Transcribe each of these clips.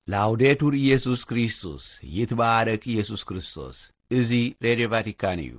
ላውዴቱር ኢየሱስ ክርስቶስ፣ ይትባረክ ኢየሱስ ክርስቶስ። እዚ ሬድዮ ቫቲካን እዩ።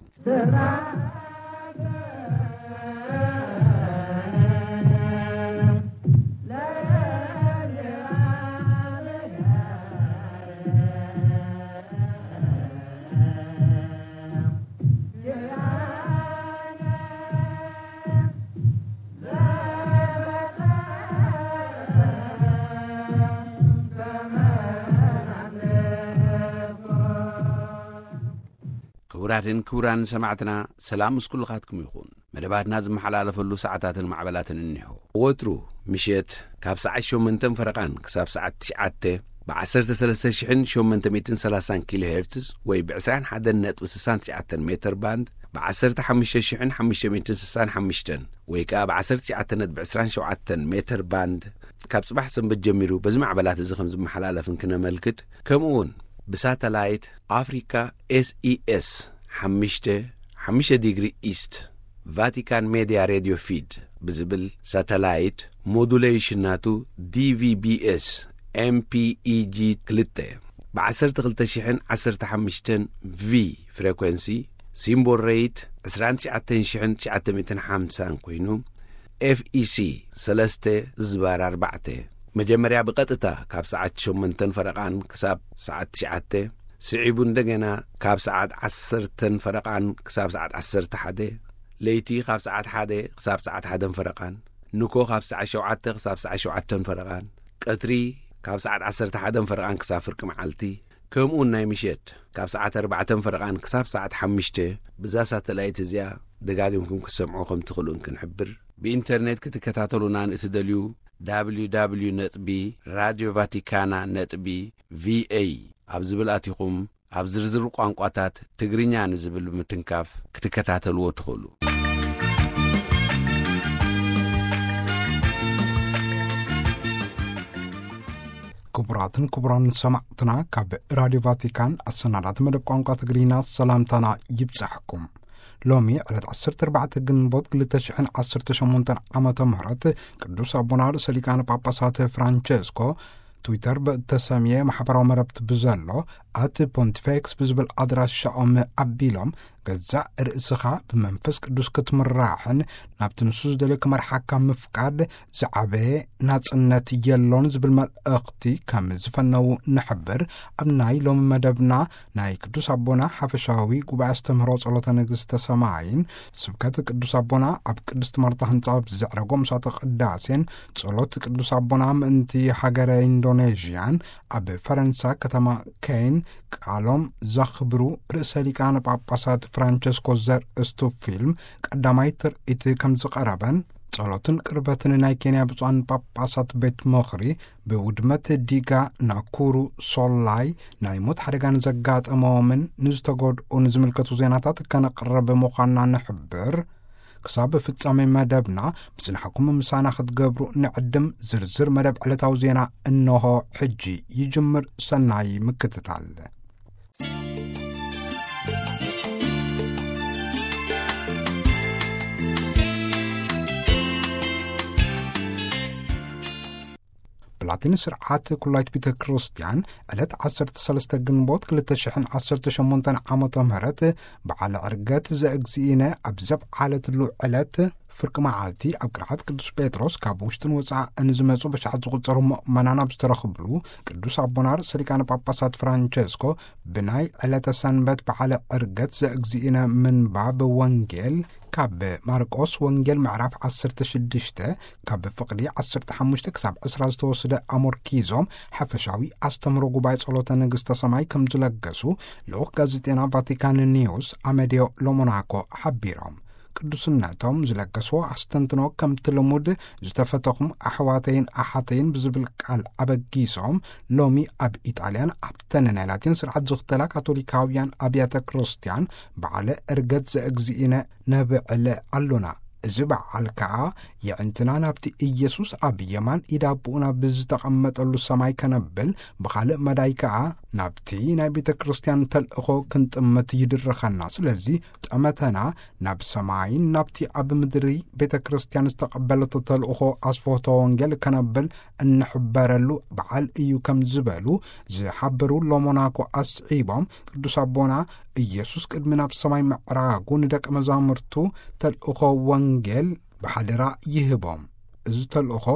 ክቡራትን ክቡራን ሰማዕትና፣ ሰላም ምስ ኩልኻትኩም ይኹን። መደባትና ዝመሓላለፈሉ ሰዓታትን ማዕበላትን እኒሆ። ወትሩ ምሸት ካብ ሰዓት ሸሞንተን ፈረቓን ክሳብ ሰዓት ትሽዓተ ብ ዓሰርተ ሰለስተ ሽሕን ሸሞንተ ሚእትን ሰላሳን ኪሎ ሄርትዝ ወይ ብ ዕስራን ሓደን ነጥቢ ስሳን ትሽዓተን ሜተር ባንድ፣ ብ ዓሰርተ ሓሙሽተ ሽሕን ሓሙሽተ ሚእትን ስሳን ሓሙሽተን ወይ ከኣ ብ ዓሰርተ ትሽዓተ ነጥቢ ዕስራን ሸውዓተን ሜተር ባንድ፣ ካብ ጽባሕ ሰንበት ጀሚሩ በዚ ማዕበላት እዚ ከም ዝመሓላለፍን ክነመልክት፣ ከምኡ እውን ብሳተላይት ኣፍሪካ ኤስኢኤስ ሓሙሽተ፣ ሓሙሽተ ዲግሪ ኢስት፣ ቫቲካን ሜድያ ሬድዮ ፊድ ብዝብል ሳተላይት፣ ሞዱሌሽን ናቱ ዲቪቢኤስ ኤምፒኢጂ ክልተ፣ ብ ዓሰርተ ክልተ ሽሕን ዓሰርተ ሓሙሽተን ቪ ፍሬኮንሲ፣ ሲምቦል ሬት ዕስራን ትሽዓተን ሽሕን ትሽዓተ ሚእትን ሓምሳን ኮይኑ፣ ኤፍኢሲ ሰለስተ ዝባር ኣርባዕተ፣ መጀመርያ ብቐጥታ ካብ ሰዓት ሸሞንተን ፈረቓን ክሳብ ሰዓት ትሽዓተ፣ ስዒቡ እንደገና ካብ ሰዓት ዓሰርተን ፈረቓን ክሳብ ሰዓት ዓሰርተ ሓደ፣ ለይቲ ካብ ሰዓት ሓደ ክሳብ ሰዓት ሓደን ፈረቓን፣ ንኮ ካብ ሰዓት ሸውዓተ ክሳብ ሰዓት ሸውዓተን ፈረቓን፣ ቀትሪ ካብ ሰዓት ዓሰርተ ሓደን ፈረቓን ክሳብ ፍርቂ መዓልቲ፣ ከምኡውን ናይ ምሸት ካብ ሰዓት ኣርባዕተን ፈረቓን ክሳብ ሰዓት ሓሙሽተ፣ ብዛ ሳተላይት እዚኣ ደጋጊምኩም ክትሰምዑ ከም ትኽእሉን ክንሕብር። ብኢንተርኔት ክትከታተሉና ንእትደልዩ፣ www ነጥቢ ራድዮ ቫቲካና ነጥቢ ቪኤ ኣብ ዝብል ኣቲኹም፣ ኣብ ዝርዝር ቋንቋታት ትግርኛ ንዝብል ብምትንካፍ ክትከታተልዎ ትኽእሉ። ክቡራትን ክቡራን ሰማዕትና፣ ካብ ራድዮ ቫቲካን ኣሰናዳቲ መደብ ቋንቋ ትግርኛ ሰላምታና ይብጻሕኩም። ሎሚ ዕለት ዓሰርተ ኣርባዕተ ግንቦት ክልተ ሽሕን ዓሰርተ ሸሞንተን ዓመተ ምህረት ቅዱስ ኣቦና ርእሰ ሊቃነ ጳጳሳት ፍራንቸስኮ ትዊተር ብእተሰምየ ማሕበራዊ መረብቲ ብዘሎ ኣት ፖንቲፌክስ ብዝብል ኣድራሻኦም ኣቢሎም፣ ገዛእ ርእስኻ ብመንፈስ ቅዱስ ክትምራሕን ናብቲ ንሱ ዝደልዮ ክመርሓካ ምፍቃድ ዝዓበየ ናጽነት የሎን ዝብል መልእኽቲ ከም ዝፈነዉ ንሕብር። ኣብ ናይ ሎሚ መደብና ናይ ቅዱስ ኣቦና ሓፈሻዊ ጉባኤ ኣስተምህሮ ጸሎተ ንግስተ ሰማይን ስብከት ቅዱስ ኣቦና ኣብ ቅድስቲ ማርታ ህንጻ ኣብ ዘዕረጎ ምሳተ ቅዳሴን ጸሎት ቅዱስ ኣቦና ምእንቲ ሃገረ ኢንዶኔዥያን ኣብ ፈረንሳ ከተማ ኬን ቃሎም ዘኽብሩ ርእሰ ሊቃነ ጳጳሳት ፍራንቸስኮ ዘርእስቱ ፊልም ቀዳማይ ትርኢት ከም ዝቐረበን፣ ጸሎትን ቅርበትን ናይ ኬንያ ብፁዓን ጳጳሳት ቤት ምኽሪ ብውድመት ዲጋ ናኩሩ ሶላይ ናይ ሞት ሓደጋ ንዘጋጠሞምን ንዝተጎድኡን ዝምልከቱ ዜናታት ከነቕርብ ምዃንና ንሕብር። ክሳብ ፍጻሜ መደብና ብጽንሓኩም ምሳና ክትገብሩ ንዕድም። ዝርዝር መደብ ዕለታዊ ዜና እንሆ ሕጂ ይጅምር። ሰናይ ምክትታል። ብላቲን ስርዓት ኩላይት ቤተ ክርስቲያን ዕለት ዓሰርተ ሰለስተ ግንቦት ክልተ ሽሕን ዓሰርተ ሸሞንተን ዓመተ ምህረት በዓል ዕርገት ዘእግዚእነ ኣብ ዘብዓለትሉ ዕለት ፍርቂ መዓልቲ ኣብ ቅርዓት ቅዱስ ጴጥሮስ ካብ ውሽጥን ወጻእን ዝመጹ በሻሓት ዝቑጸሩ ምእመናን ኣብ ዝተረኽብሉ ቅዱስ ኣቦና ርእሰ ሊቃነ ጳጳሳት ፍራንቸስኮ ብናይ ዕለተ ሰንበት በዓለ ዕርገት ዘእግዚእነ ምንባብ ወንጌል ካብ ማርቆስ ወንጌል ምዕራፍ ዓሰርተ ሽዱሽተ ካብ ፍቕዲ ዓሰርተ ሓሙሽተ ክሳብ ዕስራ ዝተወስደ ኣሞርኪዞም ሓፈሻዊ ኣስተምህሮ ጉባኤ ጸሎተ ንግስተ ሰማይ ከም ዝለገሱ ልኡኽ ጋዜጤና ቫቲካን ኒውስ ኣመዲዮ ሎሞናኮ ሓቢሮም። ቅዱስነቶም ዝለገስዎ ኣስተንትኖ ከምቲ ልሙድ ዝተፈተኹም ኣሕዋተይን ኣሓተይን ብዝብል ቃል ኣበጊሶም፣ ሎሚ ኣብ ኢጣልያን ኣብተን ናይ ላቲን ስርዓት ዝኽተላ ካቶሊካውያን ኣብያተ ክርስቲያን በዓለ ዕርገት ዘእግዚእነ ነብዕል ኣሎና። እዚ በዓል ከኣ የዕንትና ናብቲ ኢየሱስ ኣብ የማን ኢድ ኣቦኡ ናብ ዝተቐመጠሉ ሰማይ ከነብል፣ ብኻልእ መዳይ ከኣ ናብቲ ናይ ቤተ ክርስቲያን ተልእኾ ክንጥምት ይድርኸና። ስለዚ ጠመተና ናብ ሰማይን ናብቲ ኣብ ምድሪ ቤተ ክርስቲያን ዝተቐበለቶ ተልእኾ ኣስፈሆቶ ወንጌል ከነብል እንሕበረሉ በዓል እዩ ከም ዝበሉ ዝሓበሩ ሎሞናኮ ኣስዒቦም፣ ቅዱስ ኣቦና ኢየሱስ ቅድሚ ናብ ሰማይ ምዕራጉ ንደቀ መዛሙርቱ ተልእኾ ወንጌል ብሓደራ ይህቦም። እዚ ተልእኾ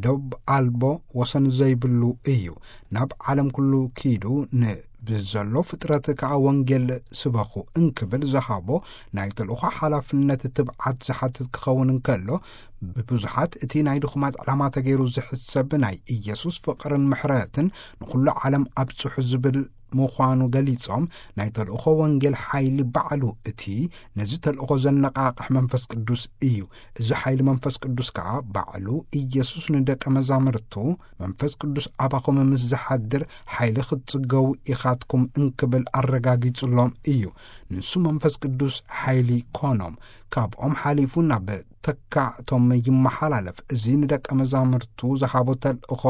ደብ ኣልቦ ወሰን ዘይብሉ እዩ። ናብ ዓለም ኩሉ ኪዱ ን ብዘሎ ፍጥረት ከኣ ወንጌል ስበኹ እንክብል ዝሃቦ ናይ ተልእኾ ሓላፍነት ትብዓት ዝሓትት ክኸውን እንከሎ፣ ብብዙሓት እቲ ናይ ድኹማት ዕላማ ተገይሩ ዝሕሰብ ናይ ኢየሱስ ፍቕርን ምሕረትን ንኹሉ ዓለም ኣብጽሑ ዝብል ምዃኑ ገሊጾም፣ ናይ ተልእኾ ወንጌል ሓይሊ ባዕሉ እቲ ነዚ ተልእኾ ዘነቓቕሕ መንፈስ ቅዱስ እዩ። እዚ ሓይሊ መንፈስ ቅዱስ ከኣ ባዕሉ ኢየሱስ ንደቀ መዛሙርቱ፣ መንፈስ ቅዱስ ኣባኹም ምስ ዝሓድር ሓይሊ ክትጽገቡ ኢኻትኩም እንክብል ኣረጋጊጹሎም እዩ። ንሱ መንፈስ ቅዱስ ሓይሊ ኮኖም፣ ካብኦም ሓሊፉ ናብ ተካእቶም ይመሓላለፍ። እዚ ንደቀ መዛሙርቱ ዝሃቦ ተልእኾ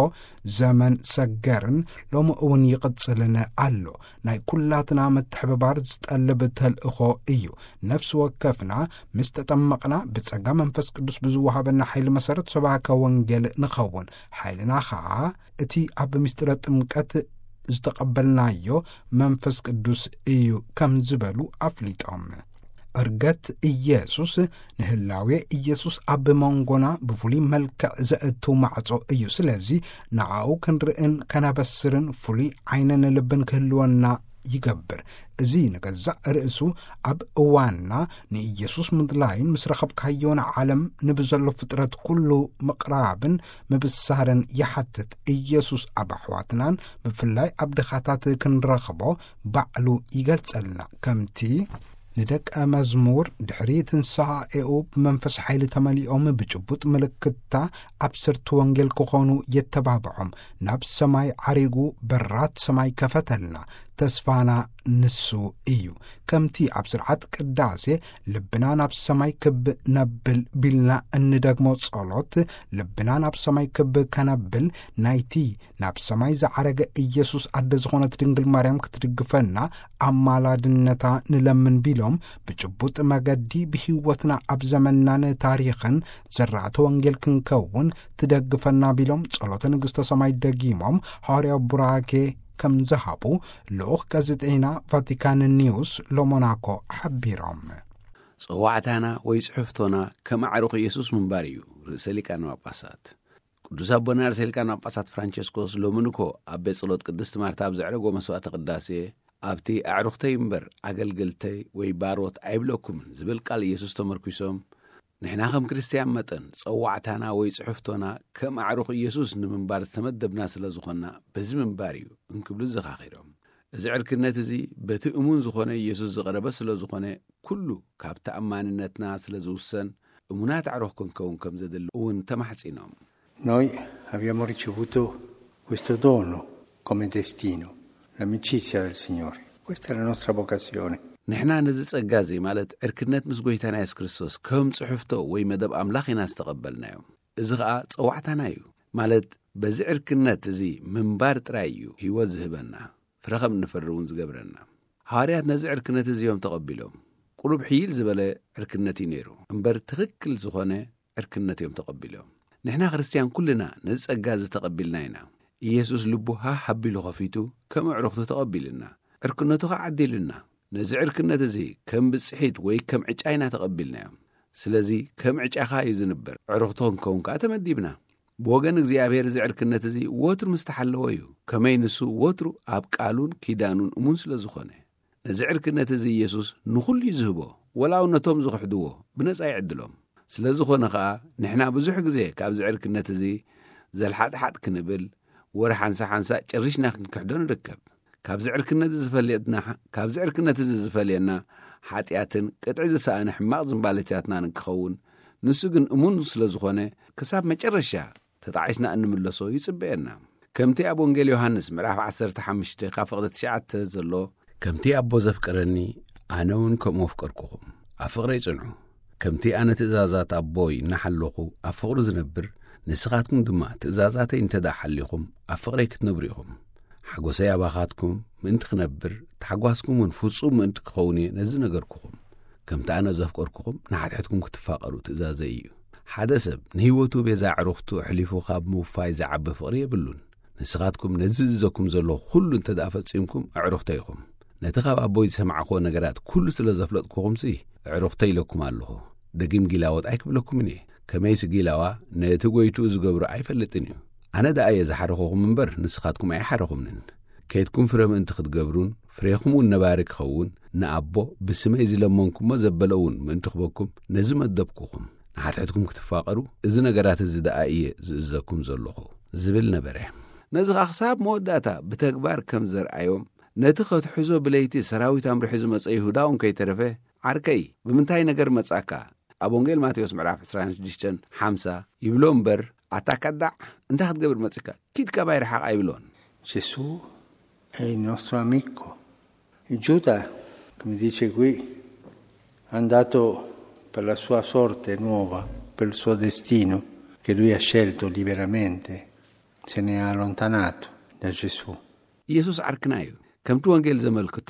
ዘመን ሰገርን ሎሚ እውን ይቕጽልን ኣሎ። ናይ ኩላትና ምትሕብባር ዝጠልብ ተልእኾ እዩ። ነፍሲ ወከፍና ምስ ተጠመቕና ብጸጋ መንፈስ ቅዱስ ብዝወሃበና ሓይሊ መሰረት ሰባከ ወንጌል ንኸውን። ሓይልና ኸኣ እቲ ኣብ ምስጢረ ጥምቀት ዝተቐበልናዮ መንፈስ ቅዱስ እዩ ከም ዝበሉ ኣፍሊጦም። ዕርገት ኢየሱስ ንህላዌ ኢየሱስ ኣብ መንጎና ብፍሉይ መልክዕ ዘእቱ ማዕጾ እዩ። ስለዚ ንኣኡ ክንርእን ከነበስርን ፍሉይ ዓይንን ልብን ክህልወና ይገብር። እዚ ንገዛእ ርእሱ ኣብ እዋንና ንኢየሱስ ምድላይን ምስ ረኸብካዮ ንዓለም ንብዘሎ ፍጥረት ኩሉ ምቕራብን ምብሳርን ይሓትት። ኢየሱስ ኣብ ኣሕዋትናን ብፍላይ ኣብ ድኻታት ክንረኽቦ ባዕሉ ይገልጸልና። ከምቲ ንደቀ መዝሙር ድሕሪ ትንሳኤኡ ብመንፈስ ሓይሊ ተመሊኦም ብጭቡጥ ምልክታ ኣብሰርቲ ወንጌል ክኾኑ የተባብዖም። ናብ ሰማይ ዓሪጉ በራት ሰማይ ከፈተልና። ተስፋና ንሱ እዩ። ከምቲ ኣብ ስርዓት ቅዳሴ ልብና ናብ ሰማይ ክብ ነብል ቢልና እንደግሞ ጸሎት፣ ልብና ናብ ሰማይ ክብ ከነብል ናይቲ ናብ ሰማይ ዝዓረገ ኢየሱስ ኣደ ዝኾነት ድንግል ማርያም ክትድግፈና ኣማላድነታ ንለምን ቢሎም፣ ብጭቡጥ መገዲ ብህይወትና ኣብ ዘመንናን ታሪኽን ዘራእቲ ወንጌል ክንከውን ትደግፈና ቢሎም ጸሎተ ንግሥተ ሰማይ ደጊሞም ሃዋርያዊ ቡራኬ ከም ዝሃቡ ልኡኽ ጋዜጠይና ቫቲካን ኒውስ ሎሞናኮ ሓቢሮም። ጸዋዕታና ወይ ጽሕፍቶና ከም ኣዕሩኽ ኢየሱስ ምንባር እዩ። ርእሰ ሊቃነ ጳጳሳት ቅዱስ ኣቦና ርእሰ ሊቃነ ጳጳሳት ፍራንቸስኮስ ሎሚ ንኮ ኣብ ቤት ጸሎት ቅድስት ማርታ ኣብ ዘዕረጎ መስዋዕተ ቅዳሴ፣ ኣብቲ ኣዕሩኽተይ እምበር ኣገልገልተይ ወይ ባሮት ኣይብለኩምን ዝብል ቃል ኢየሱስ ተመርኪሶም፣ ንሕና ከም ክርስትያን መጠን ጸዋዕታና ወይ ጽሕፍቶና ከም ኣዕሩኽ ኢየሱስ ንምንባር ዝተመደብና ስለ ዝኾንና በዚ ምንባር እዩ እንክብሉ ዘኻኺሮም። እዚ ዕርክነት እዚ በቲ እሙን ዝኾነ ኢየሱስ ዝቐረበ ስለ ዝኾነ፣ ኩሉ ካብ ተኣማንነትና ስለ ዝውሰን፣ እሙናት ኣዕሩኽ ክንከውን ከም ዘድሊ እውን ተማሕጺኖም። Noi abbiamo ricevuto questo dono come destino, l'amicizia del Signore. Questa è la nostra vocazione. ንሕና ነዚ ጸጋ እዚ፣ ማለት ዕርክነት ምስ ጐይታና የሱስ ክርስቶስ፣ ከም ጽሕፍቶ ወይ መደብ ኣምላኽ ኢና ዝተቐበልናዮ። እዚ ኸኣ ጸዋዕታና እዩ። ማለት በዚ ዕርክነት እዚ ምንባር ጥራይ እዩ ህይወት ዝህበና፣ ፍረ ከም እንፈሪ እውን ዝገብረና። ሃዋርያት ነዚ ዕርክነት እዚ እዮም ተቐቢሎም። ቁሩብ ሕይል ዝበለ ዕርክነት እዩ ነይሩ፣ እምበር ትኽክል ዝኾነ ዕርክነት እዮም ተቐቢሎም። ንሕና ክርስትያን ኩልና ነዚ ጸጋ እዚ ተቐቢልና ኢና። ኢየሱስ ልቡ ሃህ ኣቢሉ ኸፊቱ ከም ኣዕሩኽቱ ተቐቢሉና፣ ዕርክነቱ ኸዓ ዓዲሉና። ነዚ ዕርክነት እዚ ከም ብጽሒት ወይ ከም ዕጫ ኢና ተቐቢልናዮ። ስለዚ ከም ዕጫኻ እዩ ዝንበር፣ ኣዕሩኽቱ ክንከውን ከኣ ተመዲብና። ብወገን እግዚኣብሔር እዚ ዕርክነት እዚ ወትሩ ምስ ተሓለወ እዩ፣ ከመይ ንሱ ወትሩ ኣብ ቃሉን ኪዳኑን እሙን ስለ ዝኾነ። ነዚ ዕርክነት እዚ ኢየሱስ ንኹሉ እዩ ዝህቦ፣ ወላ እውን ነቶም ዝኽሕድዎ ብነጻ ይዕድሎም። ስለ ዝኾነ ኸኣ ንሕና ብዙሕ ግዜ ካብዚ ዕርክነት እዚ ዘልሓጥሓጥ ክንብል፣ ወረ ሓንሳ ሓንሳ ጨሪሽና ክንክሕዶ ንርከብ። ካብዚ ዕርክነት እዚ ዝፈልየና፣ ካብዚ ዕርክነት እዚ ዝፈልየና ሓጢኣትን ቅጥዒ ዝሰኣነ ሕማቕ ዝንባሌታትናን እንክኸውን፣ ንሱ ግን እሙን ስለ ዝኾነ ክሳብ መጨረሻ ተጣዒስና እንምለሶ ይጽበየና። ከምቲ ኣብ ወንጌል ዮሃንስ ምዕራፍ ዓሰርተ ሓሙሽተ ካብ ፍቕዲ ትሽዓተ ዘሎ፣ ከምቲ ኣቦ ዘፍቀረኒ ኣነ እውን ከምኡ ኣፍቀርኩኹም፣ ኣብ ፍቕረይ ጽንዑ። ከምቲ ኣነ ትእዛዛት ኣቦይ እናሓለኹ ኣብ ፍቕሩ ዝነብር፣ ንስኻትኩም ድማ ትእዛዛተይ እንተ ደኣ ሓሊኹም ኣብ ፍቕረይ ክትነብሩ ኢኹም። ሓጎሰይ ኣባኻትኩም ምእንቲ ክነብር፣ ታሕጓስኩም እውን ፍጹም ምእንቲ ክኸውን እየ ነዚ ነገርኩኹም። ከምቲ ኣነ ዘፍቀርኩኹም ንሓድሕድኩም ክትፋቐሩ ትእዛዘይ እዩ። ሓደ ሰብ ንህይወቱ ቤዛ ኣዕሩኽቱ ኣሕሊፉ ካብ ምውፋይ ዝዓቢ ፍቕሪ የብሉን። ንስኻትኩም ነዚ ዝእዘኩም ዘለኹ ኩሉ እንተ ደኣ ፈጺምኩም ኣዕሩኽተይ ኢኹም። ነቲ ካብ ኣቦይ ዝሰማዕክዎ ነገራት ኩሉ ስለ ዘፍለጥኩኹምሲ ኣዕሩኽተይ ኢለኩም ኣለኹ። ደጊም ጊላዎት ኣይክብለኩምን እየ። ከመይሲ ጊላዋ ነቲ ጐይትኡ ዝገብሮ ኣይፈልጥን እዩ። ኣነ ደኣ እየ ዝሓረኹኹም እምበር ንስኻትኩም ኣይሓረኹምንን። ከይድኩም ፍረ ምእንቲ ክትገብሩን ፍሬኹም እውን ነባሪ ክኸውን ንኣቦ ብስመይ ዝለመንኩሞ ዘበለ እውን ምእንቲ ክበኩም ነዚ መደብኩኹም። ንሓድሕድኩም ክትፋቐሩ እዚ ነገራት እዚ ደኣ እየ ዝእዘኩም ዘለኹ ዝብል ነበረ። ነዚ ኸኣ ክሳብ መወዳእታ ብተግባር ከም ዘርኣዮም ነቲ ከትሕዞ ብለይቲ ሰራዊት ኣምሪሑ ዝመጸ ይሁዳ እውን ከይተረፈ ዓርከይ ብምንታይ ነገር መጻካ? ኣብ ወንጌል ማቴዎስ ምዕራፍ ዕስራን ሽዱሽተን ሓምሳ ይብሎ እምበር ኣታ ከዳዕ እንታይ ክትገብር መጺካ? ኪድ ካባይ ርሓቕ ኣይብሎን። Gesù è il nostro amico. Giuda, come dice qui, è andato per la sua sorte nuova, per il suo destino che lui ha scelto liberamente, se ne è allontanato da Gesù. ኢየሱስ ዓርክና እዩ። ከምቲ ወንጌል ዘመልክቶ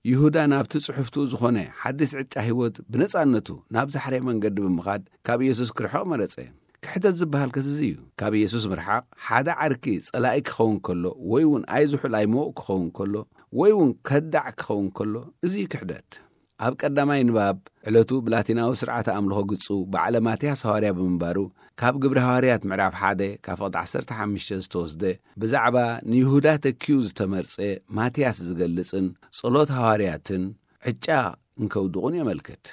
ይሁዳ ናብቲ ጽሑፍትኡ ዝኾነ ሓድስ ዕጫ ህይወት ብነጻነቱ ናብ ዝሓረየ መንገዲ ብምኻድ ካብ ኢየሱስ ክርሕቕ መረጸ። ክሕደት ዝበሃል ከስዚ እዩ። ካብ ኢየሱስ ምርሓቕ ሓደ ዓርኪ ጸላኢ ክኸውን ከሎ ወይ እውን ኣይዝሑል ኣይምዉቕ ክኸውን ከሎ ወይ እውን ከዳዕ ክኸውን ከሎ እዚ እዩ ክሕደት። ኣብ ቀዳማይ ንባብ ዕለቱ ብላቲናዊ ስርዓተ ኣምልኾ ግጹ በዓለ ማትያስ ሃዋርያ ብምንባሩ ካብ ግብሪ ሃዋርያት ምዕራፍ ሓደ ካብ ፍቕዲ ዓሰርተ ሓሙሽተ ዝተወስደ ብዛዕባ ንይሁዳ ተኪዩ ዝተመርጸ ማትያስ ዝገልጽን ጸሎት ሃዋርያትን ዕጫ እንከውድቑን የመልክት።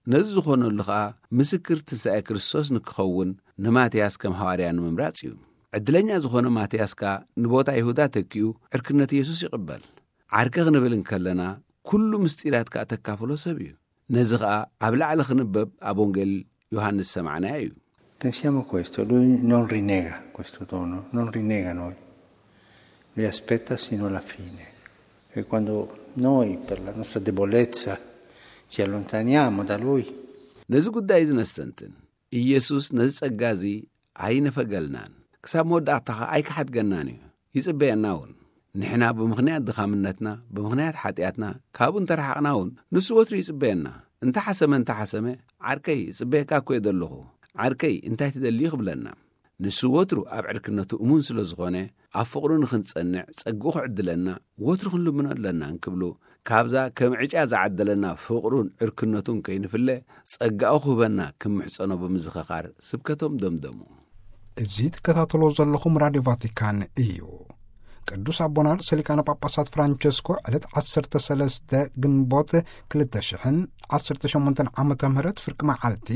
ነዚ ዝኾነሉ ኸኣ ምስክር ትንሳኤ ክርስቶስ ንክኸውን ንማትያስ ከም ሃዋርያ ንምምራጽ እዩ። ዕድለኛ ዝኾነ ማትያስ ከኣ ንቦታ ይሁዳ ተኪኡ ዕርክነት ኢየሱስ ይቕበል። ዓርከ ክንብል እንከለና ኩሉ ምስጢራት ከኣ ተካፍሎ ሰብ እዩ። ነዚ ኸኣ ኣብ ላዕሊ ክንበብ ኣብ ወንጌል ዮሃንስ ሰማዕናዮ እዩ። Pensiamo questo, lui non rinnega questo dono, non rinnega noi, lui aspetta sino alla fine. E quando noi, per la nostra debolezza, ci allontaniamo da lui, ነዚ ጉዳይ እዚ ነስተንትን። ኢየሱስ ነዚ ጸጋ እዚ ኣይነፈገልናን፣ ክሳብ መወዳእታ ኸኣ ኣይክሓድገናን እዩ። ይጽበየና እውን። ንሕና ብምኽንያት ድኻምነትና፣ ብምኽንያት ሓጢኣትና ካብኡ እንተረሓቕና እውን ንሱ ወትሩ ይጽበየና። እንተ ሓሰመ እንተ ሓሰመ፣ ዓርከይ፣ ይጽበየካ እኮ እየ ዘለኹ። ዓርከይ፣ እንታይ ትደሊ እዩ ክብለና። ንሱ ወትሩ ኣብ ዕርክነቱ እሙን ስለ ዝኾነ፣ ኣብ ፍቕሩ ንኽንጸንዕ ጸግኡ ክዕድለና ወትሩ ክንልምኖ ኣለና እንክብሉ፣ ካብዛ ከም ዕጫ ዝዓደለና ፍቕሩን ዕርክነቱን ከይንፍለ፣ ጸጋኡ ክህበና ክምሕጸኖ ብምዝኸኻር ስብከቶም ደምደሙ። እዚ ትከታተሎ ዘለኹም ራድዮ ቫቲካን እዩ። ቅዱስ ኣቦና ርእሰ ሊቃነ ጳጳሳት ፍራንቸስኮ ዕለት ዓሰርተ ሰለስተ ግንቦት ክልተ ሽሕን ዓሰርተ ሸሞንተን ዓመተ ምህረት ፍርቂ መዓልቲ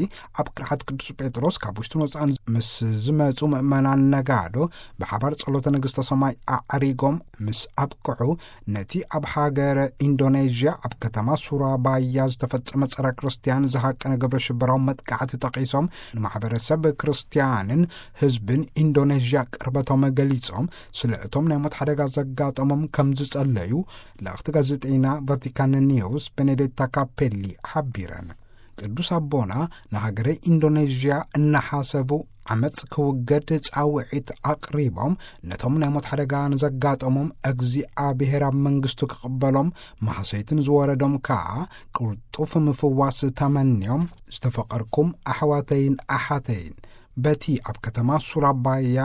ኣብ ቅርሓት ቅዱስ ጴጥሮስ ካብ ውሽጥን ወፃእን ምስ ዝመፁ ምእመናን ነጋዶ ብሓባር ጸሎተ ንግስተ ሰማይ ኣዕሪጎም ምስ ኣብቅዑ፣ ነቲ ኣብ ሃገረ ኢንዶኔዥያ ኣብ ከተማ ሱራባያ ዝተፈጸመ ጸረ ክርስትያን ዝሃቀነ ግብረ ሽበራዊ መጥቃዕቲ ጠቒሶም፣ ንማሕበረሰብ ክርስትያንን ህዝብን ኢንዶኔዥያ ቅርበቶም ገሊጾም፣ ስለ እቶም ናይ ሞት ሓደጋ ዘጋጠሞም ከም ዝጸለዩ ልእኽቲ ጋዜጠይና ቫቲካን ኒውስ ቤኔዴታ ካፔሊ ሓቢረን። ቅዱስ ኣቦና ንሃገረ ኢንዶኔዥያ እናሓሰቡ ዓመፅ ክውገድ ጻውዒት ኣቕሪቦም፣ ነቶም ናይ ሞት ሓደጋ ንዘጋጠሞም እግዚኣብሔር ኣብ መንግስቱ ክቕበሎም፣ ማህሰይትን ዝወረዶም ከኣ ቅልጡፍ ምፍዋስ ተመንዮም፣ ዝተፈቐርኩም ኣሕዋተይን ኣሓተይን፣ በቲ ኣብ ከተማ ሱራባያ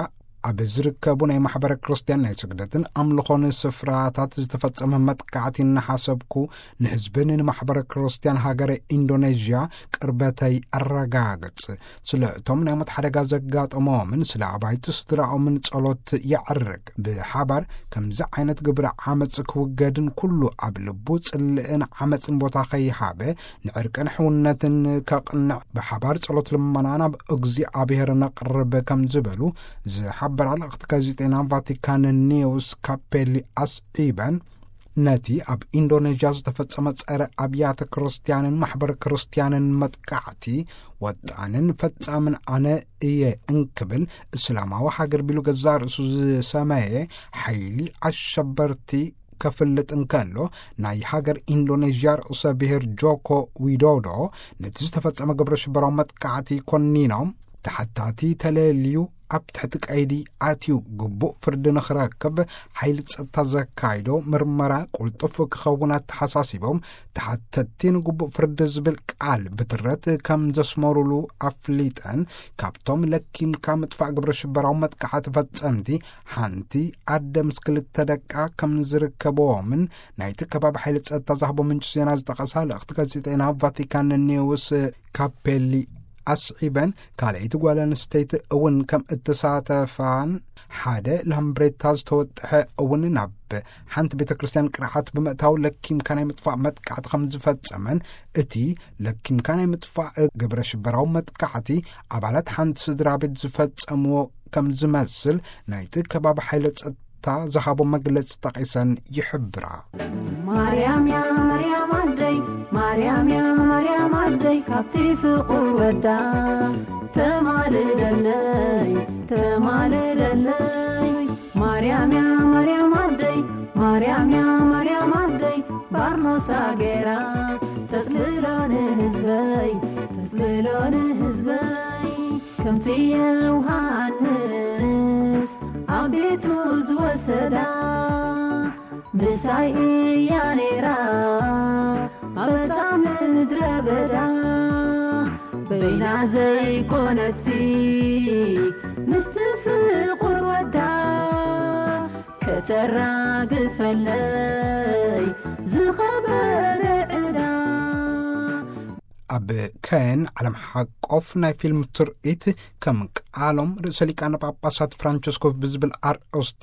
ኣብ ዝርከቡ ናይ ማሕበረ ክርስትያን ናይ ስግደትን ኣምልኾን ስፍራታት ዝተፈጸመ መጥቃዕቲ እናሓሰብኩ፣ ንህዝብን ንማሕበረ ክርስትያን ሃገረ ኢንዶኔዥያ ቅርበተይ ኣረጋግጽ። ስለ እቶም ናይ ሞት ሓደጋ ዘጋጠሞምን ስለ ኣባይቲ ስድራኦምን ጸሎት የዕርግ። ብሓባር ከምዚ ዓይነት ግብረ ዓመጽ ክውገድን ኩሉ ኣብ ልቡ ጽልእን ዓመጽን ቦታ ከይሃበ ንዕርቅን ሕውነትን ከቕንዕ ብሓባር ጸሎት ልመና ናብ እግዚኣብሔር ነቕርብ ከም ዝበሉ ዝሓበራ ልእኽቲ ጋዜጠና ቫቲካን ኒውስ ካፔሊ ኣስዒበን፣ ነቲ ኣብ ኢንዶኔዥያ ዝተፈጸመ ጸረ ኣብያተ ክርስትያንን ማሕበረ ክርስትያንን መጥቃዕቲ ወጣንን ፈጻምን ኣነ እየ እንክብል እስላማዊ ሃገር ቢሉ ገዛእ ርእሱ ዝሰመየ ሓይሊ ኣሸበርቲ ከፍልጥ እንከሎ፣ ናይ ሃገር ኢንዶኔዥያ ርእሰ ብሔር ጆኮ ዊዶዶ ነቲ ዝተፈጸመ ግብረ ሽበራዊ መጥቃዕቲ ኮኒኖም፣ ተሓታቲ ተለልዩ ኣብ ትሕቲ ቀይዲ ኣትዩ ግቡእ ፍርዲ ንኽረክብ ሓይሊ ጸጥታ ዘካይዶ ምርመራ ቅልጡፍ ክኸውን ኣተሓሳሲቦም፣ ተሓተቲ ንግቡእ ፍርዲ ዝብል ቃል ብትረት ከም ዘስመሩሉ ኣፍሊጠን፣ ካብቶም ለኪምካ ምጥፋእ ግብረ ሽበራዊ መጥቃዕቲ ፈጸምቲ ሓንቲ ኣደ ምስ ክልተ ደቃ ከም ዝርከብዎምን ናይቲ ከባቢ ሓይሊ ጸጥታ ዝሃቦ ምንጪ ዜና ዝጠቐሳ ልእኽቲ ጋዜጠና ቫቲካን ኒውስ ካፔሊ ኣስዒበን፣ ካልኣይቲ ጓል ኣንስተይቲ እውን ከም እተሳተፋን ሓደ ላምብሬታ ዝተወጥሐ እውን ናብ ሓንቲ ቤተ ክርስቲያን ቅርዓት ብምእታው ለኪምካ ናይ ምጥፋእ መጥቃዕቲ ከም ዝፈጸመን፣ እቲ ለኪምካ ናይ ምጥፋእ ግብረ ሽበራዊ መጥቃዕቲ ኣባላት ሓንቲ ስድራ ቤት ዝፈጸምዎ ከም ዝመስል ናይቲ ከባቢ ሓይለ ጸጥታ ዝሃቦ መግለጺ ጠቒሰን ይሕብራ። ማርያም ያ ማርያም ኣደይ፣ ማርያም ያ ማርያም ኣደይ፣ ካብቲ ፍቑር ወዳ ተማልደለይ፣ ተማልደለይ። ማርያም ያ ማርያም ኣደይ፣ ማርያም ያ ማርያም ኣደይ፣ ባርኖሳ ገይራ ተጽልሎ ንህዝበይ፣ ተጽልሎ ንህዝበይ። ከምቲ ዮሃንስ ኣብ ቤቱ ዝወሰዳ፣ ምሳይ እያ ነይራ ኣብ ጻም ምድረ በዳ። በይና ዘይኮነሲ ምስቲ ፍቑር ወዳ፣ ከተራግፈለይ ዝኸበረ ዕዳ። ኣብ ከየን ዓለም ሓቆፍ ናይ ፊልም ትርኢት ከም ቃሎም ርእሰ ሊቃነ ጳጳሳት ፍራንቸስኮ ብዝብል ኣርእስቲ፣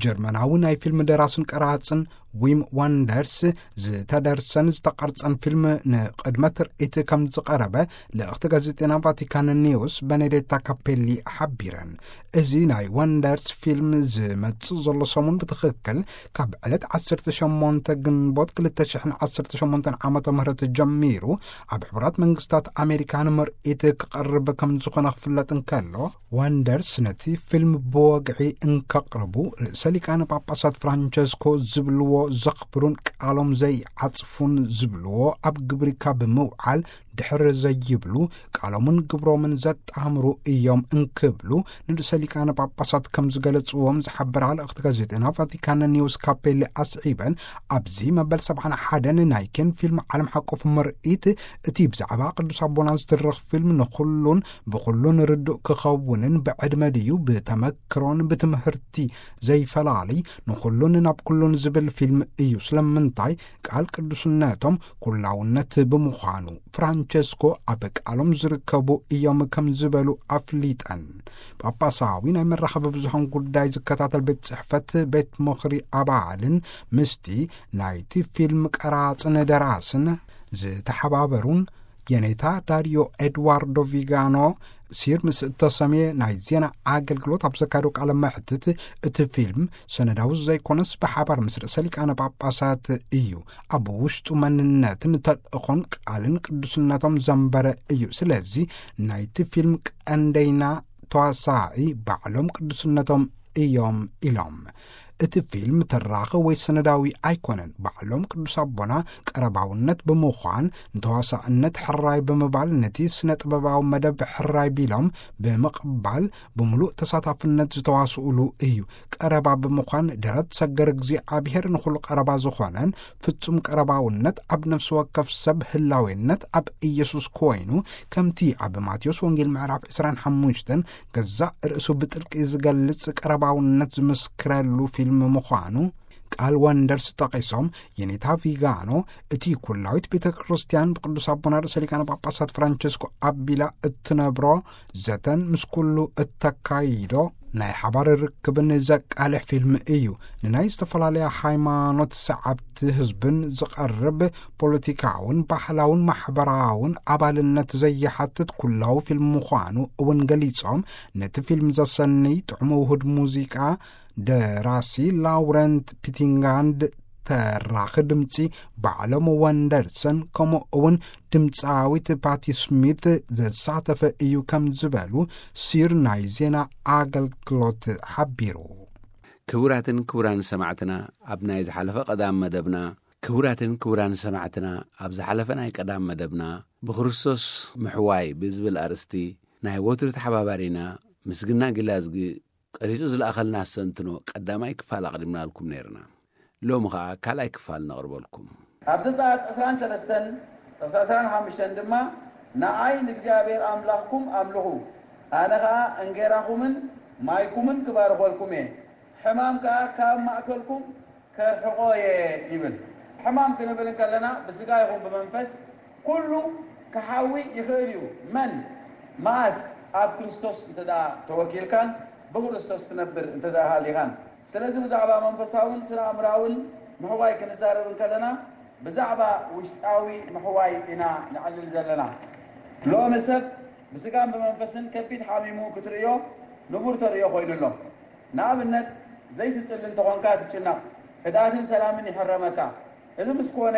ጀርመናዊ ናይ ፊልም ደራስን ቀራጽን ዊም ዋንደርስ ዝተደርሰን ዝተቐርጸን ፊልም ንቕድመ ትርኢት ከም ዝቐረበ ልእኽቲ ጋዜጠና ቫቲካን ኒውስ በኔዴታ ካፔሊ ሓቢረን። እዚ ናይ ዋንደርስ ፊልም ዝመጽእ ዘሎ ሰሙን ብትኽክል ካብ ዕለት ዓሰርተ ሸሞንተ ግንቦት ክልተ ሽሕን ዓሰርተ ሸሞንተን ዓመተ ምህረት ጀሚሩ ኣብ ሕቡራት መንግስታት ኣሜሪካ ንምርኢት ክቐርብ ከም ዝኾነ ክፍለጥ እንከሎ፣ ዋንደርስ ነቲ ፊልም ብወግዒ እንከቕርቡ ርእሰ ሊቃነ ጳጳሳት ፍራንቸስኮ ዝብልዎ ዘኽብሩን ቃሎም ዘይዓጽፉን ዝብልዎ ኣብ ግብሪ ካብ ምውዓል ድሕር ዘይብሉ፣ ቃሎምን ግብሮምን ዘጣምሩ እዮም እንክብሉ ንርእሰ ሊቃነ ጳጳሳት ከም ዝገለጽዎም ዝሓበራ ልእኽቲ ጋዜጠና ቫቲካን ኒውስ ካፔሊ ኣስዒበን፣ ኣብዚ መበል ሰብዓን ሓደን ናይ ኬን ፊልም ዓለም ሓቆፍ ምርኢት፣ እቲ ብዛዕባ ቅዱስ ኣቦና ዝትርኽ ፊልም ንኹሉን ብኹሉን ርዱእ ክኸውንን ብዕድመ ድዩ ብተመክሮን ብትምህርቲ ዘይፈላሊ ንኹሉን ናብ ኩሉን ዝብል ፊልም እዩ። ስለምንታይ? ቃል ቅዱስነቶም ኩላውነት ብምዃኑ። ፍራንቸስኮ ኣብ ቃሎም ዝርከቡ እዮም ከም ዝበሉ ኣፍሊጠን። ጳጳሳዊ ናይ መራኸቢ ብዙሃን ጉዳይ ዝከታተል ቤት ጽሕፈት ቤት ምኽሪ ኣባልን ምስቲ ናይቲ ፊልም ቀራጽን ደራስን ዝተሓባበሩን የኔታ ዳሪዮ ኤድዋርዶ ቪጋኖ ሲር ምስ እተሰምየ ናይ ዜና ኣገልግሎት ኣብ ዘካየዶ ቃለ መሕትት፣ እቲ ፊልም ሰነዳዊ ዘይኮነስ ብሓባር ምስ ርእሰ ሊቃነ ጳጳሳት እዩ። ኣብ ውሽጡ መንነትን ተልእኾን ቃልን ቅዱስነቶም ዘንበረ እዩ። ስለዚ ናይቲ ፊልም ቀንደይና ተዋሳኢ ባዕሎም ቅዱስነቶም እዮም ኢሎም። እቲ ፊልም ተራኺ ወይ ሰነዳዊ ኣይኮነን። ባዕሎም ቅዱስ ኣቦና ቀረባውነት ብምዃን ንተዋሳእነት ሕራይ ብምባል ነቲ ስነ ጥበባዊ መደብ ሕራይ ቢሎም ብምቕባል ብምሉእ ተሳታፍነት ዝተዋስኡሉ እዩ። ቀረባ ብምዃን ደረት ሰገር እግዚኣብሔር ንኹሉ ቀረባ ዝኾነን ፍጹም ቀረባውነት ኣብ ነፍሲ ወከፍ ሰብ ህላዌነት ኣብ ኢየሱስ ኮይኑ፣ ከምቲ ኣብ ማቴዎስ ወንጌል ምዕራፍ ዕስራን ሓሙሽተን ገዛእ ርእሱ ብጥልቂ ዝገልጽ ቀረባውነት ዝምስክረሉ ፊልም ምዃኑ ቃል ወንደርስ ጠቒሶም፣ የኔታ ቪጋኖ እቲ ኩላዊት ቤተ ክርስቲያን ብቅዱስ ኣቦና ርእሰ ሊቃነ ጳጳሳት ፍራንቸስኮ ኣቢላ እትነብሮ ዘተን ምስ ኩሉ እተካይዶ ናይ ሓባር ርክብን ዘቃልሕ ፊልም እዩ። ንናይ ዝተፈላለያ ሃይማኖት ሰዓብቲ ህዝብን ዝቐርብ ፖለቲካውን ባህላውን ማሕበራውን ኣባልነት ዘይሓትት ኩላዊ ፊልም ምዃኑ እውን ገሊጾም፣ ነቲ ፊልም ዘሰንይ ጥዑም ውሁድ ሙዚቃ ደራሲ ላውረንት ፒቲንጋንድ፣ ተራኺ ድምጺ ባዕሎም ወንደርሰን፣ ከምኡ እውን ድምጻዊት ፓቲ ስሚት ዘሳተፈ እዩ ከም ዝበሉ ሲር ናይ ዜና ኣገልግሎት ሓቢሩ። ክቡራትን ክቡራን ሰማዕትና፣ ኣብ ናይ ዝሓለፈ ቀዳም መደብና፣ ክቡራትን ክቡራን ሰማዕትና፣ ኣብ ዝሓለፈ ናይ ቀዳም መደብና ብክርስቶስ ምሕዋይ ብዝብል ኣርእስቲ ናይ ወትሩ ተሓባባሪና ምስግና ጊላዝጊ ቀሪጹ ዝለኣኸልና ኣስተንትኖ ቀዳማይ ክፋል ኣቕዲምናልኩም ነይርና። ሎሚ ኸኣ ካልኣይ ክፋል ነቕርበልኩም። ኣብ ዘጸኣት ዕስራን ሰለስተን ጥቕሲ ዕስራን ሓሙሽተን ድማ፣ "ንኣይ ንእግዚኣብሔር ኣምላኽኩም ኣምልኹ፣ ኣነ ኸኣ እንጌራኹምን ማይኩምን ክባርኾልኩም እየ፣ ሕማም ከኣ ካብ ማእከልኩም ከርሕቖ እየ" ይብል። ሕማም ክንብል እንከለና ብስጋ ይኹን ብመንፈስ ኩሉ ክሓዊ ይኽእል እዩ። መን መኣስ ኣብ ክርስቶስ እንተ ደኣ ተወኪልካን ብክርስቶስ ትነብር እንተ ደኣ ሃሊኻን። ስለዚ ብዛዕባ መንፈሳውን ስነ ኣእምራውን ምሕዋይ ክንዛረብ እንከለና ብዛዕባ ውሽጣዊ ምሕዋይ ኢና ነዕልል ዘለና። ሎሚ ሰብ ብስጋን ብመንፈስን ከቢድ ሓሚሙ ክትርእዮ ንቡር ተርእዮ ኮይኑ ኣሎ። ንኣብነት ዘይትጽሊ እንተኾንካ ትጭነቕ፣ ህድኣትን ሰላምን ይሕረመካ። እዚ ምስ ኮነ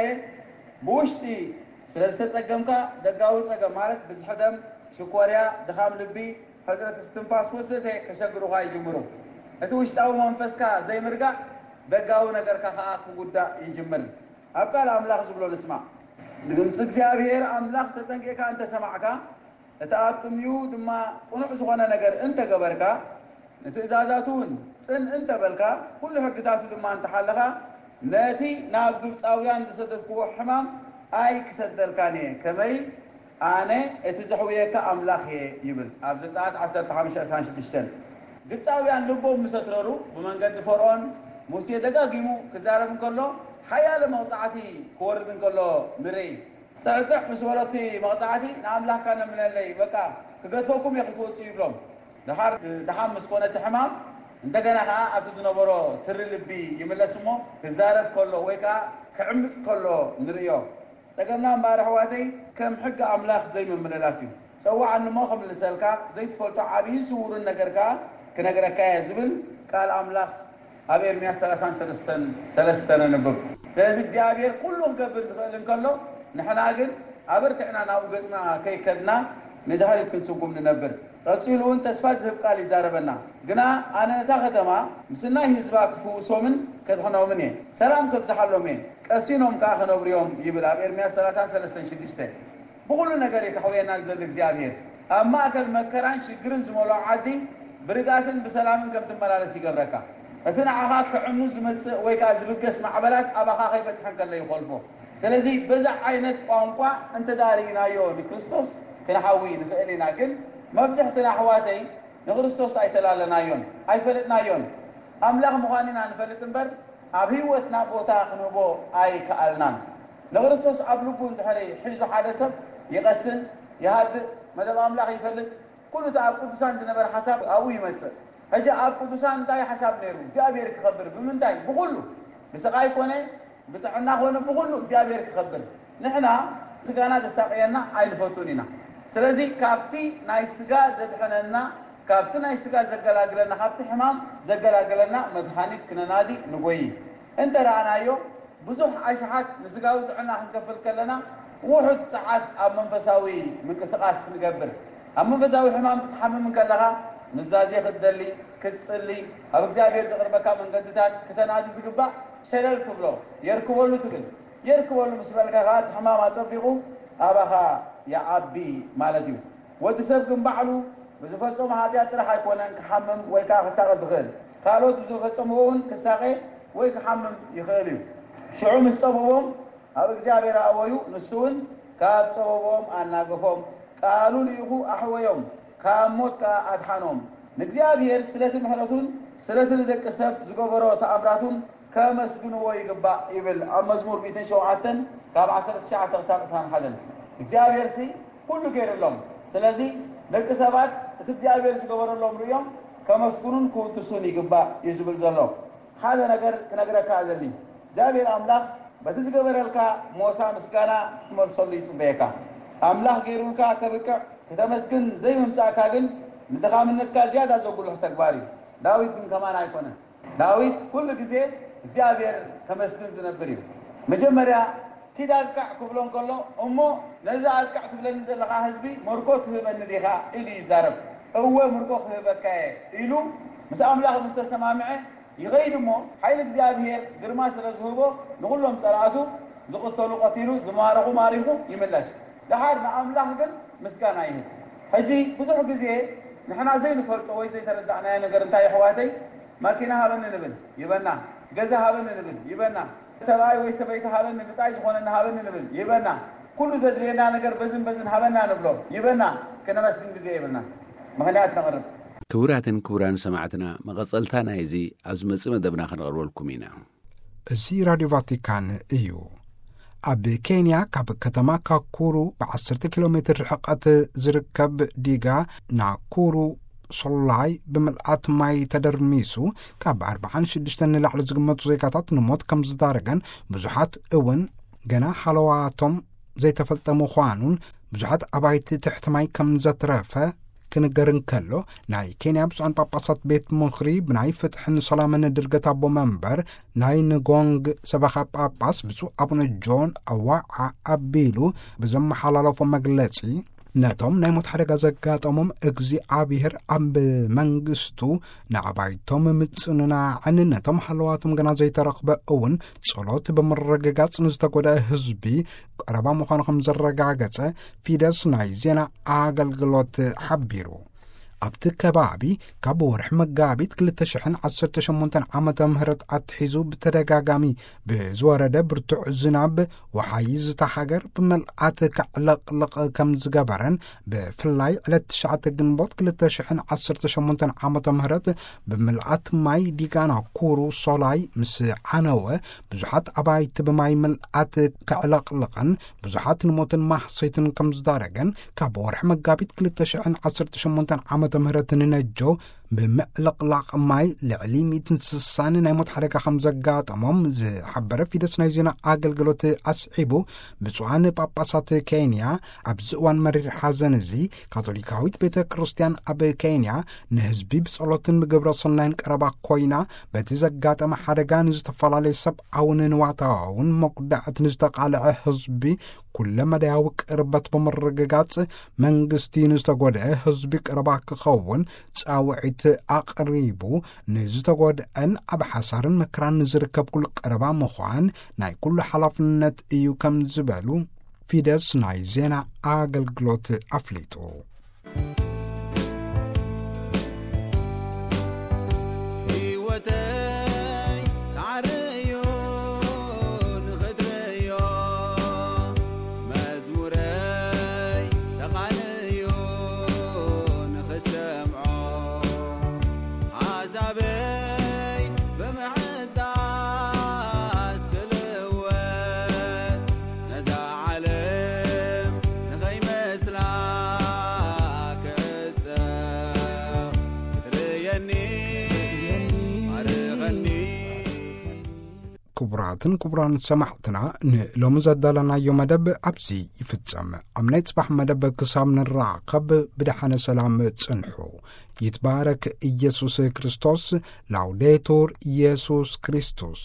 ብውሽጢ ስለ ዝተጸገምካ ደጋዊ ጸገም ማለት ብዝሒ ደም፣ ሽኮርያ፣ ድኻም ልቢ፣ ሕጽረት እስትንፋስ ወዘተ ከሸግሩኻ ይጅምሩ። እቲ ውሽጣዊ መንፈስካ ዘይምርጋእ ደጋዊ ነገርካ ከኣ ክጉዳእ ይጅምር። ኣብ ቃል ኣምላኽ ዝብሎ ንስማዕ። ንድምፂ እግዚኣብሔር ኣምላኽ ተጠንቂቕካ እንተሰማዕካ፣ እቲ ኣብ ቅድሚኡ ድማ ቅኑዕ ዝኾነ ነገር እንተገበርካ፣ ንትእዛዛቱ እውን ጽን እንተበልካ፣ ኩሉ ሕግታቱ ድማ እንተሓለኻ፣ ነቲ ናብ ግብፃውያን ዝሰደድክዎ ሕማም ኣይክሰደልካን እየ። ከመይ ኣነ እቲ ዘሕውየካ ኣምላኽ እየ ይብል። ኣብ ዘጸኣት ዓሰርተ ሓሙሽተ ዕስራን ሽዱሽተን። ግብጻውያን ልቦም ምስ ኣትረሩ፣ ብመንገዲ ፈርዖን ሙሴ ደጋጊሙ ክዛረብ እንከሎ፣ ሓያለ መቕጻዕቲ ክወርድ እንከሎ ንርኢ። ጽዕጽዕ ምስ በሎ እቲ መቕጻዕቲ፣ "ንኣምላኽካ ነምነለይ፣ በቃ ክገድፈኩም እየ ክትወጽኡ" ይብሎም። ደሓር ደሓን ምስ ኮነ እቲ ሕማም፣ እንደገና ኸኣ ኣብቲ ዝነበሮ ትሪ ልቢ ይምለስ እሞ፣ ክዛረብ ከሎ ወይ ከኣ ክዕምጽ ከሎ ንርእዮ። ጸገምና እምበኣር ኣሕዋተይ፣ ከም ሕጊ ኣምላኽ ዘይምምልላስ እዩ። ጸውዓኒ እሞ ክምልሰልካ፣ ዘይትፈልጦ ዓብይን ስውርን ነገር ከኣ ክነግረካ እየ ዝብል ቃል ኣምላኽ ኣብ ኤርምያስ ሰላሳን ሰለስተን ሰለስተ ነንብብ። ስለዚ እግዚኣብሔር ኩሉ ክገብር ዝኽእል እንከሎ፣ ንሕና ግን ኣበርቲዕና ናብኡ ገጽና ከይከድና ንድሕሪት ክንስጉም ንነብር። ቀጺሉ እውን ተስፋ ዝህብ ቃል ይዛረበና። ግና ኣነ ነታ ከተማ ምስ ናይ ህዝባ ክፍውሶምን ከድሕኖምን እየ፣ ሰላም ከብዝሓሎም እየ፣ ቀሲኖም ከኣ ክነብሩ እዮም ይብል ኣብ ኤርምያስ ሰላሳን ሰለስተን ሽዱሽተ። ብኹሉ ነገር እዩ ከሕውየና ዝደሊ እግዚኣብሔር። ኣብ ማእከል መከራን ሽግርን ዝመልኦ ዓዲ ብርግኣትን ብሰላምን ከም ትመላለስ ይገብረካ። እቲ ንዓኻ ክዕኑ ዝመጽእ ወይ ከኣ ዝብገስ ማዕበላት ኣባኻ ከይበጽሐ እንከሎ ይኾልፎ። ስለዚ በዚ ዓይነት ቋንቋ እንተ ደኣ ርኢናዮ ንክርስቶስ ክንሓዊ ንኽእል ኢና። ግን መብዝሕትና ኣሕዋተይ ንክርስቶስ ኣይተላለናዮን፣ ኣይፈለጥናዮን። ኣምላኽ ምዃኑ ኢና ንፈልጥ እምበር፣ ኣብ ህይወትና ቦታ ክንህቦ ኣይከኣልናን። ንክርስቶስ ኣብ ልቡ እንድሕሪ ሒዙ ሓደ ሰብ ይቐስን፣ ይሃድእ፣ መደብ ኣምላኽ ይፈልጥ፣ ኩሉ እቲ ኣብ ቅዱሳን ዝነበረ ሓሳብ ኣብኡ ይመጽእ። ሕጂ ኣብ ቅዱሳን እንታይ ሓሳብ ነይሩ? እግዚኣብሔር ክኸብር። ብምንታይ? ብኹሉ። ብስቓይ ኮነ፣ ብጥዕና ኮነ፣ ብኹሉ እግዚኣብሔር ክኸብር። ንሕና ስጋና ዘሳቕየና ኣይንፈቱን ኢና። ስለዚ ካብቲ ናይ ስጋ ዘድሕነና፣ ካብቲ ናይ ስጋ ዘገላግለና፣ ካብቲ ሕማም ዘገላግለና መድሃኒት ክነናዲ ንጎይ። እንተ ረኣናዮ፣ ብዙሕ ኣሽሓት ንስጋዊ ጥዕና ክንከፍል ከለና፣ ውሑድ ጸዓት ኣብ መንፈሳዊ ምንቅስቓስ ንገብር። ኣብ መንፈሳዊ ሕማም ክትሓምም እንከለኻ፣ ኑዛዜ ክትደሊ፣ ክትጽሊ፣ ኣብ እግዚኣብሔር ዘቕርበካ መንገድታት ክተናዲ ዝግባእ ሸለል ትብሎ፣ የርክበሉ ትብል። የርክበሉ ምስ በልካ ከኣ እቲ ሕማም ኣጸቢቑ ኣባኻ ይዓቢ ማለት እዩ። ወዲ ሰብ ግን ባዕሉ ብዝፈጸሞ ሓጢኣት ጥራሕ ኣይኮነን ክሓምም ወይ ከኣ ክሳቐ ዝኽእል። ካልኦት ብዝፈጸምዎ እውን ክሳቐ ወይ ክሓምም ይኽእል እዩ። ሽዑ ምስ ጸበቦም ኣብ እግዚኣብሔር ኣእወዩ፣ ንሱ እውን ካብ ጸበቦም ኣናገፎም፣ ቃሉ ልኢኹ ኣሕወዮም፣ ካብ ሞት ከኣ ኣድሓኖም። ንእግዚኣብሔር ስለቲ ምሕረቱን ስለቲ ንደቂ ሰብ ዝገበሮ ተኣምራቱን ከመስግንዎ ይግባእ ይብል ኣብ መዝሙር ሚእትን ሸውዓተን ካብ ዓሰርተ ትሽዓተ ክሳብ ዕስራን ሓደን። እግዚኣብሔርሲ ኩሉ ገይሩሎም። ስለዚ ደቂ ሰባት እቲ እግዚኣብሔር ዝገበረሎም ርእዮም ከመስግኑን ክውድሱን ይግባእ እዩ ዝብል ዘሎ። ሓደ ነገር ክነግረካ እደሊ። እግዚኣብሔር ኣምላኽ በቲ ዝገበረልካ ሞሳ ምስጋና ክትመልሰሉ ይጽበየካ። ኣምላኽ ገይሩልካ ከብቅዕ ክተመስግን ዘይምምጻእካ ግን ንድኻምነትካ ዝያዳ ዘጉልሕ ተግባር እዩ። ዳዊት ግን ከማን ኣይኮነን። ዳዊት ኩሉ ግዜ እግዚኣብሔር ከመስግን ዝነብር እዩ። መጀመርያ ኪድ ኣጥቅዕ ክብሎ እንከሎ፣ "እሞ ነዚ ኣጥቅዕ ትብለኒ ዘለኻ ህዝቢ ምርኮ ትህበኒ ዲኻ?" ኢሉ ይዛረብ። "እወ ምርኮ ክህበካ እየ" ኢሉ ምስ ኣምላኽ ምስ ተሰማምዐ ይኸይድ እሞ፣ ሓይሊ እግዚኣብሔር ግርማ ስለ ዝህቦ ንኹሎም ጸላእቱ ዝቕተሉ ቀቲሉ፣ ዝማረኹ ማሪኹ ይምለስ። ደሓር ንኣምላኽ ግን ምስጋና ይህብ። ሕጂ ብዙሕ ግዜ ንሕና ዘይንፈልጦ ወይ ዘይተረዳእናዮ ነገር እንታይ፣ ኣሕዋተይ? ማኪና ሃበኒ ንብል፣ ይበና። ገዛ ሃበኒ ንብል፣ ይበና። ሰብኣይ ወይ ሰበይቲ ሃበኒ፣ ብጻይ ዝኾነኒ ሃበኒ ንብል፣ ይበና። ኩሉ ዘድልየና ነገር በዝን በዝን ሃበና ንብሎ፣ ይበና። ክነመስግን ግዜ የብልና፣ ምኽንያት ነቕርብ። ክቡራትን ክቡራን ሰማዕትና፣ መቐጸልታ ናይዚ ኣብ ዝመጽእ መደብና ከነቕርበልኩም ኢና። እዚ ራድዮ ቫቲካን እዩ። ኣብ ኬንያ ካብ ከተማ ካኩሩ ብ10 ኪሎ ሜትር ርሕቀት ዝርከብ ዲጋ ናኩሩ ሶላይ ብምልኣት ማይ ተደርሚሱ ካብ ኣርባዓን ሽዱሽተን ንላዕሊ ዝግመቱ ዜጋታት ንሞት ከም ዝዳረገን ብዙሓት እውን ገና ሃለዋቶም ዘይተፈልጠ ምዃኑን ብዙሓት ኣባይቲ ትሕቲ ማይ ከም ዘትረፈ ክንገር እንከሎ፣ ናይ ኬንያ ብፁዓን ጳጳሳት ቤት ምኽሪ ብናይ ፍትሕን ሰላምን ድርገት ኣቦ መንበር ናይ ንጎንግ ሰበኻ ጳጳስ ብፁዕ ኣቡነ ጆን ኣዋዓ ኣቢሉ ብዘመሓላለፎ መግለጺ፣ ነቶም ናይ ሞት ሓደጋ ዘጋጠሞም እግዚኣብሔር ኣብ መንግስቱ ንኣባይቶም ምጽንናዕን ነቶም ሃለዋቶም ገና ዘይተረኽበ እውን ጸሎት ብምርግጋጽ ንዝተጎድአ ህዝቢ ቀረባ ምዃኑ ከም ዘረጋገጸ ፊደስ ናይ ዜና ኣገልግሎት ሓቢሩ። ኣብቲ ከባቢ ካብ ወርሒ መጋቢት ክልተ ሽሕን ዓሰርተ ሸሞንተን ዓመተ ምህረት ኣትሒዙ ብተደጋጋሚ ብዝወረደ ብርቱዕ ዝናብ ወሓይዝታ ሃገር ብመልኣት ከዕለቕልቕ ከም ዝገበረን፣ ብፍላይ ዕለት ትሽዓተ ግንቦት ክልተ ሽሕን ዓሰርተ ሸሞንተን ዓመተ ምህረት ብምልኣት ማይ ዲጋና ኩሩ ሶላይ ምስ ዓነወ ብዙሓት ኣባይቲ ብማይ ምልኣት ከዕለቕልቕን ብዙሓት ንሞትን ማህሰይትን ከም ዝዳረገን ካብ ወርሒ መጋቢት ክልተ ሽሕን ዓሰርተ ሸሞንተን ዓመተ ምህረት ንነጆ ብምዕልቕላቕ ማይ ልዕሊ ሚእትን ስሳን ናይ ሞት ሓደጋ ከም ዘጋጠሞም ዝሓበረ ፊደስ ናይ ዜና ኣገልግሎት ኣስዒቡ፣ ብፁዓን ጳጳሳት ኬንያ ኣብዚ እዋን መሪር ሓዘን እዚ ካቶሊካዊት ቤተ ክርስቲያን ኣብ ኬንያ ንህዝቢ ብጸሎትን ብግብረ ሰናይን ቀረባ ኮይና በቲ ዘጋጠመ ሓደጋ ንዝተፈላለየ ሰብኣውን ንዋታውን መጉዳእቲ ንዝተቓልዐ ህዝቢ ኩለ መዳያዊ ቅርበት ብምርግጋጽ መንግስቲ ንዝተጎድአ ህዝቢ ቀረባ ክኸውን ጻውዒት ኣቕሪቡ፣ ንዝተጎድአን ኣብ ሓሳርን መከራን ንዝርከብ ኩሉ ቀረባ ምዃን ናይ ኩሉ ሓላፍነት እዩ ከም ዝበሉ ፊደስ ናይ ዜና ኣገልግሎት ኣፍሊጡ። ህይወተይ ተዓረዮ ንኽትርእዮ፣ መዝሙረይ ተቓንዮ ንኽሰምዖ፣ ሓሳበይ ብምሕዳስ ክልወጥ፣ ነዛ ዓለም ንኸይመስላ ክዕጠቕ፣ ክትርእየኒ ባርኸኒ። ክቡራትን ክቡራን ሰማዕትና፣ ንሎሚ ዘዳለናዮ መደብ ኣብዚ ይፍጸም። ኣብ ናይ ጽባሕ መደብ ክሳብ ንራኸብ ብደሓነ ሰላም ጽንሑ። ይትባረክ ኢየሱስ ክርስቶስ። ላውዴቱር ኢየሱስ ክርስቶስ።